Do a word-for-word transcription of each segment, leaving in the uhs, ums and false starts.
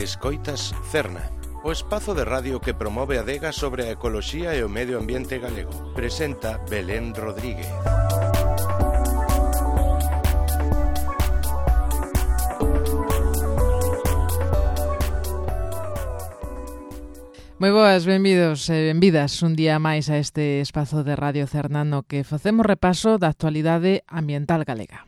Escoitas Cerna, o espazo de radio que promove a adega sobre a ecoloxía e o medio ambiente galego. Presenta Belén Rodríguez. Moi boas, benvidos e benvidas un día máis a este espazo de Radio Cerna no que facemos repaso da actualidade ambiental galega.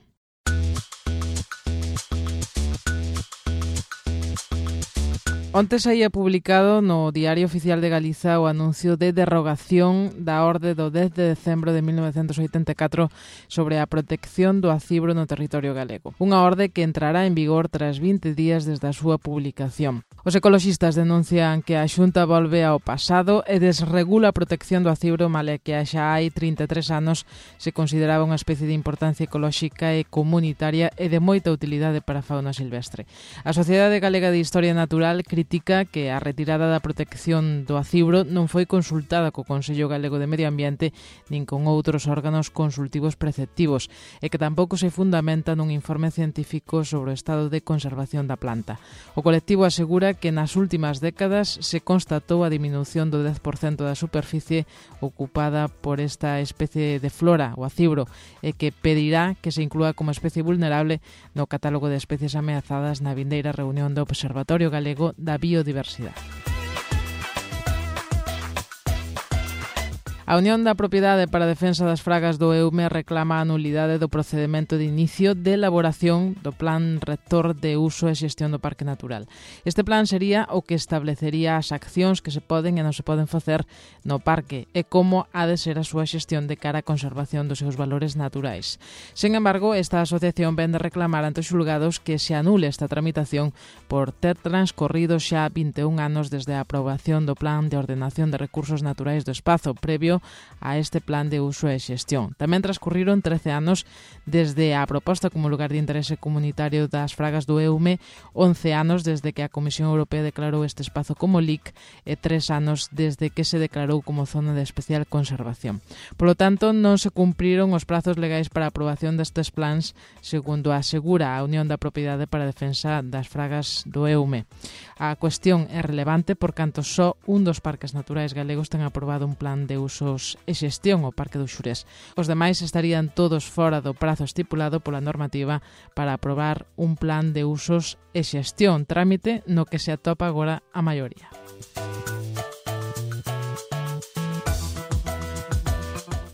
Onte saía publicado no Diario Oficial de Galiza o anuncio de derrogación da orde do dez de decembro de mil novecentos oitenta e catro sobre a protección do acibro no territorio galego. Unha orde que entrará en vigor tras vinte días desde a súa publicación. Os ecoloxistas denuncian que a Xunta volve ao pasado e desregula a protección do acibro, male que xa hai trinta e tres anos se consideraba unha especie de importancia ecolóxica e comunitaria e de moita utilidade para a fauna silvestre. A Sociedade Galega de Historia Natural critica que a retirada da protección do acibro non foi consultada co Consello Galego de Medio Ambiente nin con outros órganos consultivos preceptivos e que tampouco se fundamenta nun informe científico sobre o estado de conservación da planta. O colectivo asegura que nas últimas décadas se constatou a diminución do dez por cento da superficie ocupada por esta especie de flora, o acibro, e que pedirá que se inclúa como especie vulnerable no catálogo de especies ameazadas na vindeira reunión do Observatorio Galego da Biodiversidade. A Unión da Propiedade para a Defensa das Fragas do Eume reclama a nulidade do procedimento de inicio de elaboración do Plan Rector de Uso e Xestión do Parque Natural. Este plan sería o que establecería as accións que se poden e non se poden facer no parque e como ha de ser a súa xestión de cara á conservación dos seus valores naturais. Sen embargo, esta asociación ven de reclamar ante os xulgados que se anule esta tramitación por ter transcorrido xa vinte e un anos desde a aprobación do Plan de Ordenación de Recursos Naturais do Espazo previo a este plan de uso e xestión. Tamén transcurriron trece anos desde a proposta como lugar de interese comunitario das fragas do Eume, once anos desde que a Comisión Europea declarou este espazo como L I C e tres anos desde que se declarou como zona de especial conservación. Por lo tanto, non se cumpriron os prazos legais para a aprobación destes plans, segundo asegura a Unión da Propiedade para a Defensa das Fragas do Eume. A cuestión é relevante por canto só un dos parques naturais galegos ten aprobado un plan de uso e xestión o Parque do Xurés. Os demais estarían todos fora do prazo estipulado pola normativa para aprobar un plan de usos e xestión, trámite no que se atopa agora a maioría.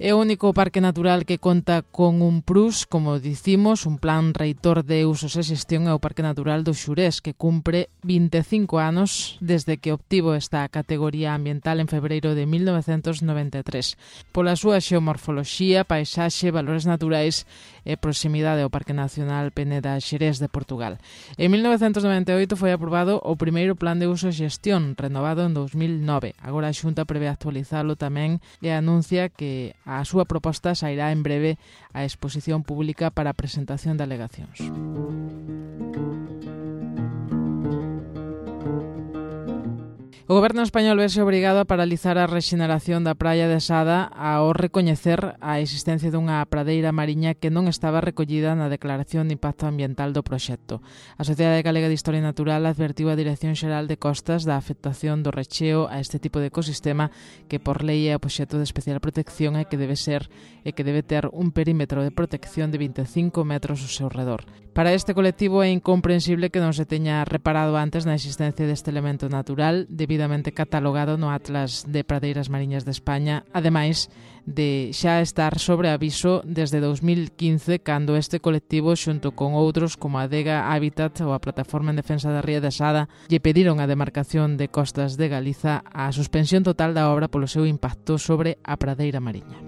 É o único parque natural que conta con un P R U S, como dicimos, un Plan Reitor de Usos e Xestión é o Parque Natural do Xurés, que cumpre vinte e cinco anos desde que obtivo esta categoría ambiental en febreiro de mil novecentos noventa e tres. Pola súa xeomorfoloxía, paisaxe, valores naturais e proximidade ao Parque Nacional Peneda Xerés de Portugal. En mil novecentos noventa e oito foi aprobado o primeiro Plan de Uso e Xestión, renovado en dous mil nove. Agora a Xunta prevé actualizalo tamén e anuncia que a súa proposta sairá en breve á exposición pública para a presentación de alegacións. O Goberno español vese obrigado a paralizar a rexeneración da praia de Sada ao recoñecer a existencia dunha pradeira mariña que non estaba recollida na Declaración de Impacto Ambiental do proxecto. A Sociedade Galega de Historia Natural advertiu a Dirección Xeral de Costas da afectación do recheo a este tipo de ecosistema que por lei é obxecto de especial protección e que debe ser e que debe ter un perímetro de protección de vinte e cinco metros ao seu redor. Para este colectivo é incomprensible que non se teña reparado antes na existencia deste elemento natural devidamente catalogado no Atlas de Pradeiras Mariñas de España, ademais de xa estar sobre aviso desde dous mil quince, cando este colectivo, xunto con outros como a Adega Habitat ou a Plataforma en Defensa da Ría de Sada, lle pediron a demarcación de Costas de Galiza a suspensión total da obra polo seu impacto sobre a pradeira mariña.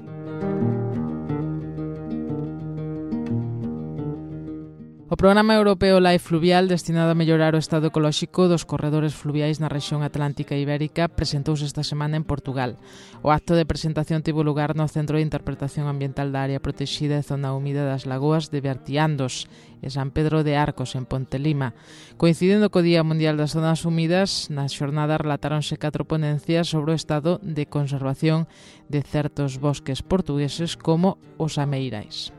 O Programa Europeo Life Fluvial, destinado a mellorar o estado ecolóxico dos corredores fluviais na rexión atlántica e ibérica, presentouse esta semana en Portugal. O acto de presentación tivo lugar no Centro de Interpretación Ambiental da Área Protexida e Zona Húmida das Lagoas de Bertiandos, e San Pedro de Arcos, en Pontelima. Coincidendo co Día Mundial das Zonas Húmidas, na xornada relatáronse catro ponencias sobre o estado de conservación de certos bosques portugueses como os ameirais.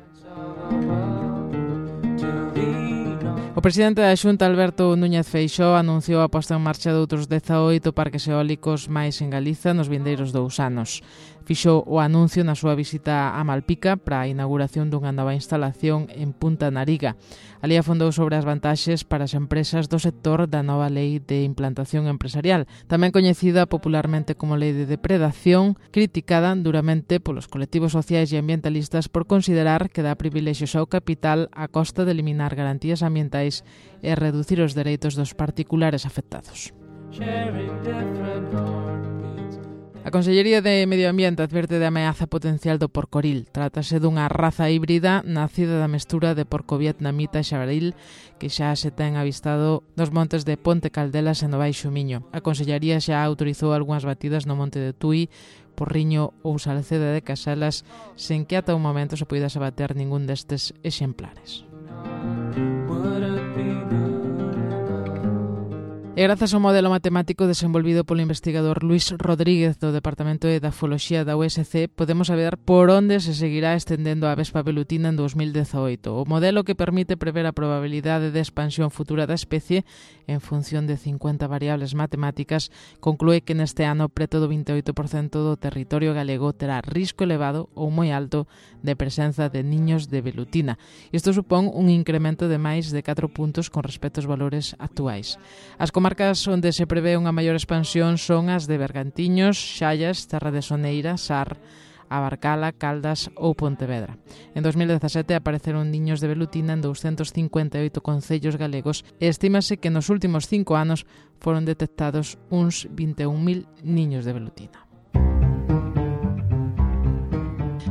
O presidente da Xunta, Alberto Núñez Feixóo, anunciou a posta en marcha de outros dezaoito parques eólicos máis en Galiza nos vindeiros dous anos. Fixo o anuncio na súa visita a Malpica para a inauguración dunha nova instalación en Punta Nariga. Ali afondou sobre as vantaxes para as empresas do sector da nova lei de implantación empresarial, tamén coñecida popularmente como lei de depredación, criticada duramente polos colectivos sociais e ambientalistas por considerar que dá privilexios ao capital a costa de eliminar garantías ambientais e reducir os dereitos dos particulares afectados. A Consellería de Medio Ambiente adverte de ameaza potencial do porcoril. Trátase dunha raza híbrida nacida da mestura de porco vietnamita e xabaril que xa se ten avistado nos montes de Ponte Caldelas e no Baixo Miño. A Consellería xa autorizou algunhas batidas no monte de Tui, Porriño ou Salceda de Caselas, sen que ata o momento se puidase bater ningún destes exemplares. E grazas ao modelo matemático desenvolvido polo investigador Luis Rodríguez do Departamento de Edafoloxía da U S C, podemos saber por onde se seguirá estendendo a vespa velutina en dos mil dezaoito. O modelo que permite prever a probabilidade de expansión futura da especie en función de cincuenta variables matemáticas conclúe que neste ano preto do vinte e oito por cento do territorio galego terá risco elevado ou moi alto de presenza de niños de velutina. Isto supón un incremento de máis de catro puntos con respecto aos valores actuais. As comarcas onde se prevé unha maior expansión son as de Bergantiños, Xallas, Terra de Soneira, Sar, Abarcala, Caldas ou Pontevedra. En dos mil dezasete apareceron niños de velutina en douscentos cincuenta e oito concellos galegos e estímase que nos últimos cinco anos foron detectados uns vinte e un mil niños de velutina.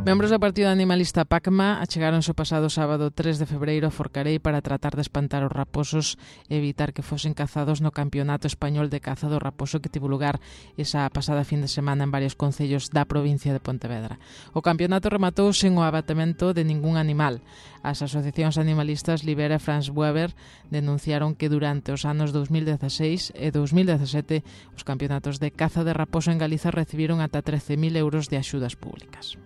Membros do partido animalista PACMA achegáronse o pasado sábado tres de febreiro a Forcarei para tratar de espantar os raposos e evitar que fosen cazados no Campeonato Español de Caza do Raposo que tivo lugar esa pasada fin de semana en varios concellos da provincia de Pontevedra. O campeonato rematou sen o abatemento de ningún animal. As asociacións animalistas Libera e Franz Weber denunciaron que durante os anos dos mil dezaseis e dos mil dezasete os campeonatos de caza de raposo en Galiza recibiron ata trece mil euros de axudas públicas.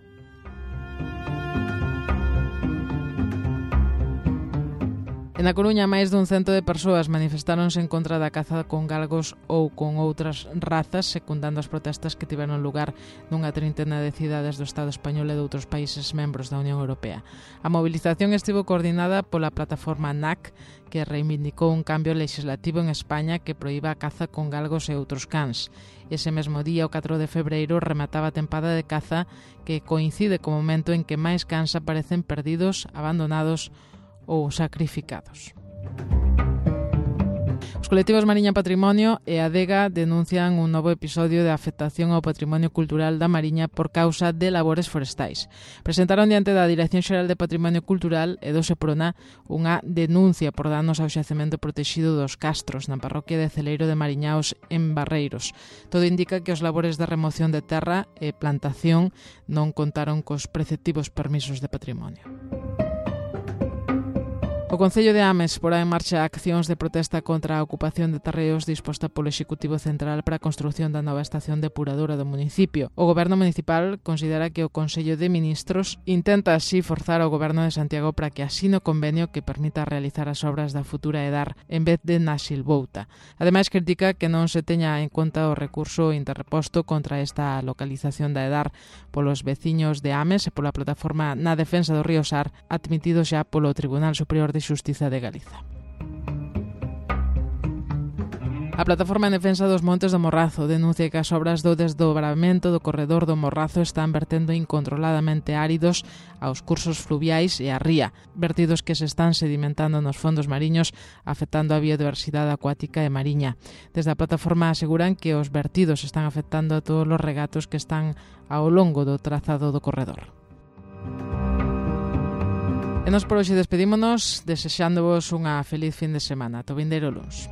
En A Coruña, máis dun cento de persoas manifestáronse en contra da caza con galgos ou con outras razas, secundando as protestas que tiveron lugar nunha trintena de cidades do Estado español e de outros países membros da Unión Europea. A mobilización estivo coordinada pola plataforma N A C, que reivindicou un cambio legislativo en España que proíba a caza con galgos e outros cans. Ese mesmo día, o catro de febreiro, remataba a tempada de caza que coincide co momento en que máis cans aparecen perdidos, abandonados ou sacrificados. Os colectivos Mariña Patrimonio e Adega denuncian un novo episodio de afectación ao patrimonio cultural da Mariña por causa de labores forestais. Presentaron diante da Dirección Xeral de Patrimonio Cultural e do Seprona unha denuncia por danos ao xacemento protexido dos Castros na parroquia de Celeiro de Mariñaos en Barreiros. Todo indica que os labores de remoción de terra e plantación non contaron cos preceptivos permisos de patrimonio. O Concello de Ames porá en marcha accións de protesta contra a ocupación de terreos disposta polo Executivo Central para a construción da nova estación depuradora do municipio. O Goberno Municipal considera que o Consello de Ministros intenta así forzar ao Goberno de Santiago para que asine o convenio que permita realizar as obras da futura EDAR en vez de na Silvouta. Ademais, critica que non se teña en conta o recurso interreposto contra esta localización da EDAR polos veciños de Ames e pola plataforma na defensa do río Sar, admitido xa polo Tribunal Superior de Xustiza de Galiza. A Plataforma en Defensa dos Montes do Morrazo denuncia que as obras do desdobramento do corredor do Morrazo están vertendo incontroladamente áridos aos cursos fluviais e á ría, vertidos que se están sedimentando nos fondos mariños, afectando a biodiversidade acuática e mariña. Desde a plataforma aseguran que os vertidos están afectando a todos os regatos que están ao longo do trazado do corredor. E nos por hoxe despedímonos desexándovos unha feliz fin de semana. Ata o vindeiro luns.